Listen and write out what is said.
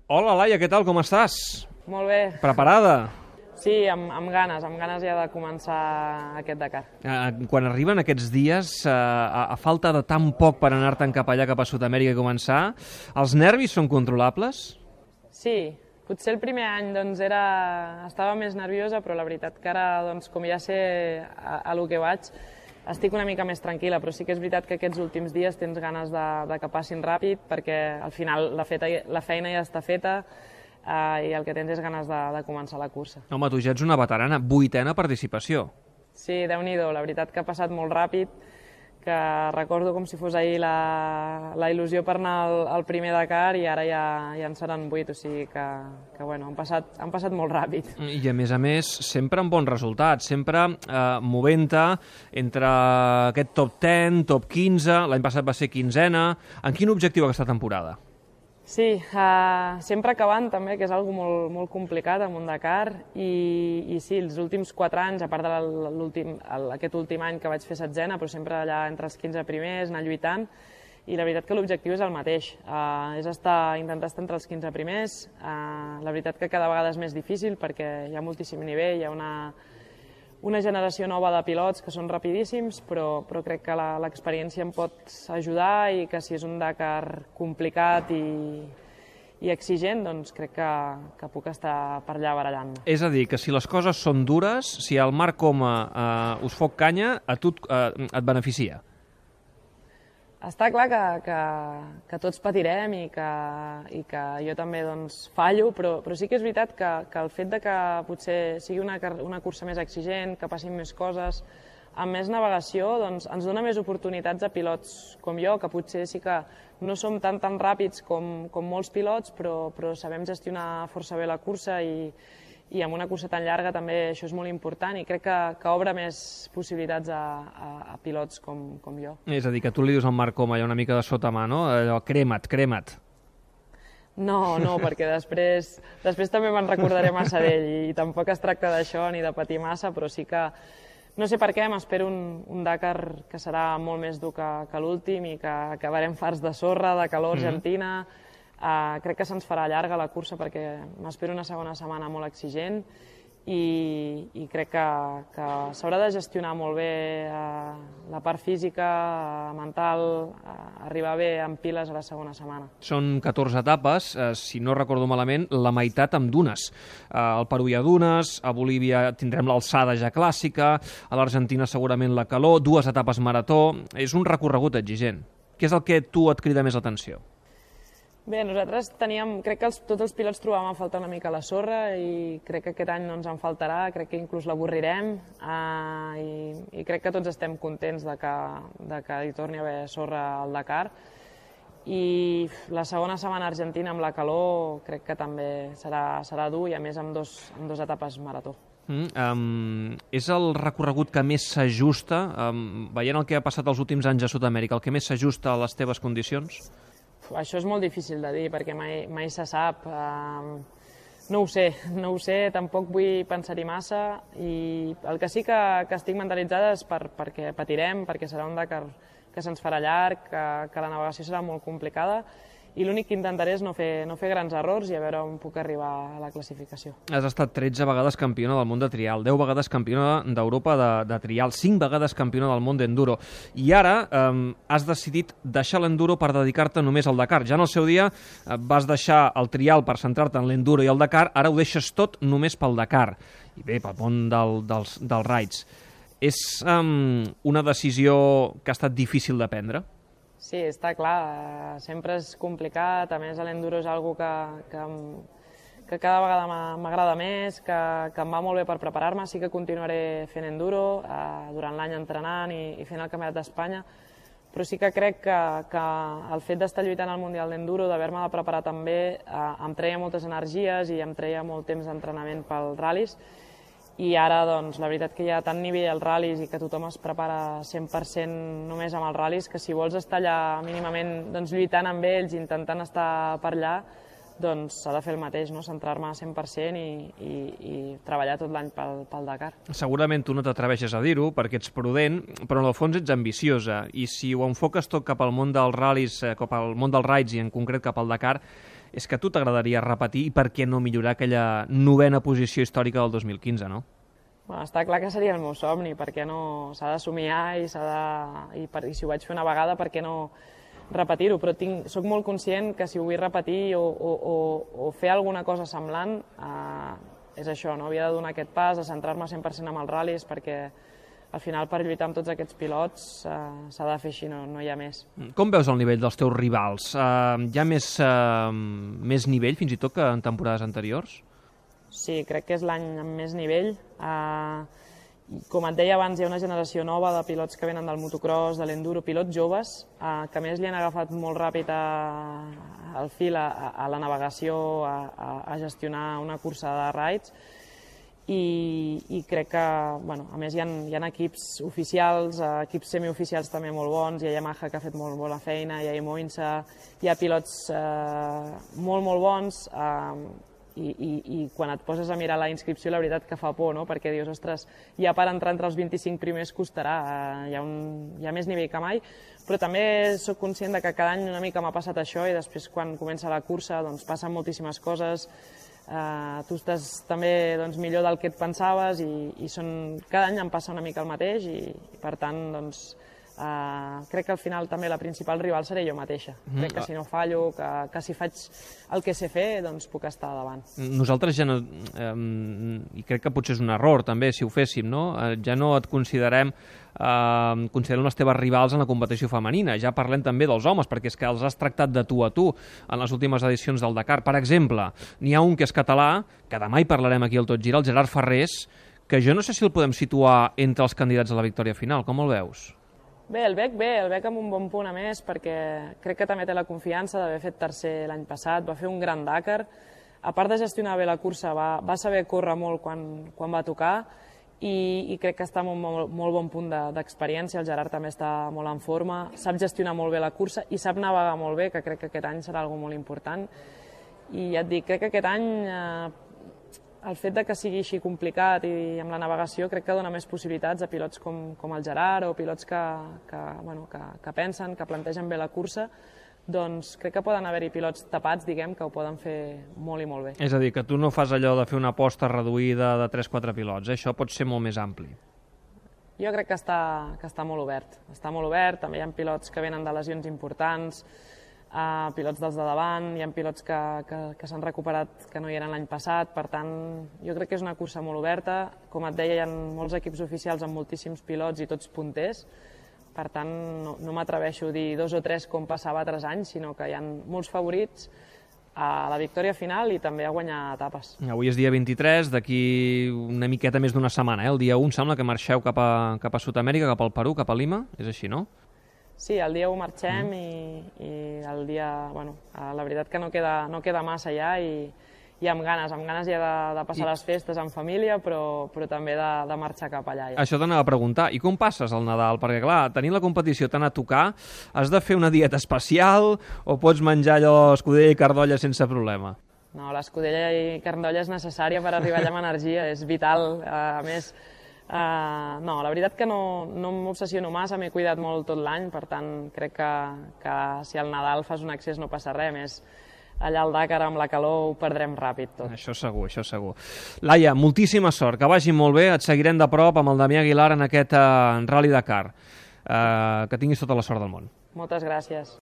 Hola, Laia, què tal? Com estàs? Molt bé. Preparada? Sí, amb ganes ja de començar aquest Dakar. Quan arriben aquests dies, a falta de tan poc per anar-te'n cap allà, cap a Sud-amèrica i començar, els nervis són controlables? Sí, potser el primer any estava més nerviosa, però la veritat que ara, com ja sé a lo que vaig, estic una mica més tranquil·la, però sí que és veritat que aquests últims dies tens ganes de que passin ràpid, perquè al final la feina ja està feta i el que tens és ganes de començar la cursa. Home, tu ja ets una veterana, 8a participació. Sí, Déu-n'hi-do, la veritat que ha passat molt ràpid, que recordo com si fos ahir la il·lusió per anar al primer Dakar i ara ja en seran 8, o sigui que bueno, han passat molt ràpid. I a més, sempre amb bons resultats, sempre movent-te entre aquest top 10, top 15, l'any passat va ser 15a. En quin objectiu aquesta temporada? Sí, sempre acabant també, que és algo molt complicat amb un Dakar, i sí, els últims 4 anys, a part d'aquest últim any que vaig fer 16a, però sempre allà entre els 15 primers, anar lluitant, i la veritat que l'objectiu és el mateix, és intentar estar entre els 15 primers. La veritat que cada vegada és més difícil perquè hi ha moltíssim nivell, hi ha una generació nova de pilots que són rapidíssims, però crec que l'experiència em pot ajudar i que si és un Dakar complicat i exigent, doncs crec que puc estar per allà barallant-me. És a dir, que si les coses són dures, si el Marc Coma us fot canya, a tu et beneficia. Està clar que tots patirem i que jo també fallo, però sí que és veritat que el fet de que potser sigui una cursa més exigent, que passin més coses, amb més navegació, ens dona més oportunitats a pilots com jo, que potser sí que no som tan ràpids com molts pilots, però sabem gestionar força bé la cursa i amb una cursa tan llarga també això és molt important i crec que obre més possibilitats a pilots com jo. És a dir, que tu li dius al Marc Coma una mica de sota mà, no? Allò, crema't. No, perquè després també me'n recordaré massa d'ell i tampoc es tracta d'això ni de patir massa, però sí que no sé per què m'espero un Dakar que serà molt més dur que l'últim i que acabarem farts de sorra, de calor argentina. Crec que se'ns farà llarga la cursa perquè m'espero una segona setmana molt exigent i crec que s'haurà de gestionar molt bé la part física, mental, arribar bé amb piles a la segona setmana. Són 14 etapes, si no recordo malament, la meitat amb dunes. Al Perú hi ha dunes, a Bolívia tindrem l'alçada ja clàssica, a l'Argentina segurament la calor, 2 etapes marató. És un recorregut exigent. Què és el que tu et crida més l'atenció? Bé, nosaltres crec que tots els pilots trobàvem a faltar una mica la sorra i crec que aquest any no ens en faltarà, crec que inclús l'avorrirem i crec que tots estem contents de que hi torni a haver sorra al Dakar. I la segona setmana argentina amb la calor crec que també serà dur i a més amb dos etapes marató. És el recorregut que més s'ajusta, veient el que ha passat els últims anys a Sud-amèrica, el que més s'ajusta a les teves condicions? Això és molt difícil de dir perquè mai se sap. No ho sé, tampoc vull pensar-hi massa i el que sí que estic mentalitzada és perquè patirem, perquè serà un Dakar que se'ns farà llarg, que la navegació serà molt complicada i l'únic que intentaré és no fer grans errors i a veure on puc arribar a la classificació. Has estat 13 vegades campiona del món de trial, 10 vegades campiona d'Europa de trial, 5 vegades campiona del món d'enduro. I ara has decidit deixar l'enduro per dedicar-te només al Dakar. Ja en el seu dia vas deixar el trial per centrar-te en l'enduro i el Dakar, ara ho deixes tot només pel Dakar. I bé, pel món dels raids. És una decisió que ha estat difícil de prendre? Sí, està clar, sempre és complicat, a més l'enduro és algo que cada vegada m'agrada més, que em va molt bé per preparar-me, sí que continuaré fent enduro, durant l'any entrenant i fent el Campionat d'Espanya, però sí que crec que el fet d'estar lluitant al Mundial d'Enduro, d'haver-me de preparar també, em treia moltes energies i em treia molt temps d'entrenament pels ral·lis, i ara, la veritat que hi ha tant nivell als ral·lis i que tothom es prepara 100% només amb els ral·lis que si vols estar allà mínimament lluitant amb ells, intentant estar per allà, s'ha de fer el mateix, centrar-me 100% i treballar tot l'any pel Dakar. Segurament tu no t'atreveixes a dir-ho perquè ets prudent, però en el fons ets ambiciosa i si ho enfoques tot cap al món dels ral·lis, cap al món dels raids i en concret cap al Dakar, és que a tu t'agradaria repetir i per què no millorar aquella 9a posició històrica del 2015, no? Bueno, està clar que seria el meu somni, perquè no s'ha de somiar i si ho vaig fer una vegada, per què no repetir-ho? Però soc molt conscient que si ho vull repetir o fer alguna cosa semblant, és això, no? Havia de donar aquest pas, de centrar-me 100% en els ral·lis, perquè al final per lluitar amb tots aquests pilots s'ha de fer així, no hi ha més. Com veus el nivell dels teus rivals? Hi ha més nivell fins i tot que en temporades anteriors? Sí, crec que és l'any amb més nivell. Com et deia abans, hi ha una generació nova de pilots que venen del motocross, de l'enduro, pilots joves, que a més li han agafat molt ràpid el fil a la navegació, a gestionar una cursa de raids, i crec que, bueno, a més hi ha equips oficials, equips semioficials també molt bons, hi ha Yamaha que ha fet molt bona feina, hi ha Imoinsa, hi ha pilots molt bons, i quan et poses a mirar la inscripció la veritat que fa por, no? Perquè dius, ostres, ja per entrar entre els 25 primers costarà, hi ha més nivell que mai, però també sóc conscient de que cada any una mica m'ha passat això i després quan comença la cursa doncs passen moltíssimes coses, tu estàs també millor del que et pensaves i cada any em passa una mica el mateix i per tant doncs crec que al final també la principal rival seré jo mateixa. Crec que si no fallo, que si faig el que sé fer, doncs puc estar davant. Nosaltres ja no, i crec que potser és un error també si ho féssim, no? Ja no et considerem les teves rivals en la competició femenina, ja parlem també dels homes, perquè és que els has tractat de tu a tu en les últimes edicions del Dakar. Per exemple, n'hi ha un que és català, que demà hi parlarem aquí al Tot Gira, el Gerard Ferrés, que jo no sé si el podem situar entre els candidats a la victòria final. Com el veus? Bé, el veig amb un bon punt a més, perquè crec que també té la confiança d'haver fet tercer l'any passat, va fer un gran Dakar, a part de gestionar bé la cursa, va saber córrer molt quan va tocar i crec que està en un molt bon punt d'experiència, el Gerard també està molt en forma, sap gestionar molt bé la cursa i sap navegar molt bé, que crec que aquest any serà una cosa molt important. I ja et dic, crec que aquest any el fet que sigui així complicat i amb la navegació crec que dona més possibilitats a pilots com el Gerard o pilots que pensen, que plantegen bé la cursa, doncs crec que poden haver-hi pilots tapats, diguem, que ho poden fer molt i molt bé. És a dir, que tu no fas allò de fer una aposta reduïda de 3-4 pilots, això pot ser molt més ampli. Jo crec que està molt obert. Està molt obert, també hi ha pilots que venen de lesions importants, pilots dels de davant, hi ha pilots que s'han recuperat que no hi eren l'any passat, per tant, jo crec que és una cursa molt oberta. Com et deia, hi ha molts equips oficials amb moltíssims pilots i tots punters, per tant, no m'atreveixo a dir 2 o 3 com passava altres anys, sinó que hi ha molts favorits a la victòria final i també a guanyar etapes. Avui és dia 23, d'aquí una miqueta més d'una setmana, el dia 1 sembla que marxeu cap a Sud-amèrica, cap al Perú, cap a Lima, és així, no? Sí, el dia 1 marxem i el dia... Bueno, la veritat que no queda massa ja i amb ganes ja de passar les festes en família, però també de marxar cap allà. Ja. Això t'anava a preguntar, i com passes el Nadal? Perquè clar, tenint la competició tan a tocar, has de fer una dieta especial o pots menjar allò escudella i carn d'olla sense problema? No, l'escudella i carn d'olla és necessària per arribar allà amb energia, és vital. A més, no, la veritat que no m'obsessiono massa, m'he cuidat molt tot l'any, per tant crec que si al Nadal fas un excés no passa res, més allà al Dakar amb la calor ho perdrem ràpid tot. Això segur. Laia, moltíssima sort, que vagi molt bé, et seguirem de prop amb el Damià Aguilar en aquest Rally Dakar. Que tinguis tota la sort del món. Moltes gràcies.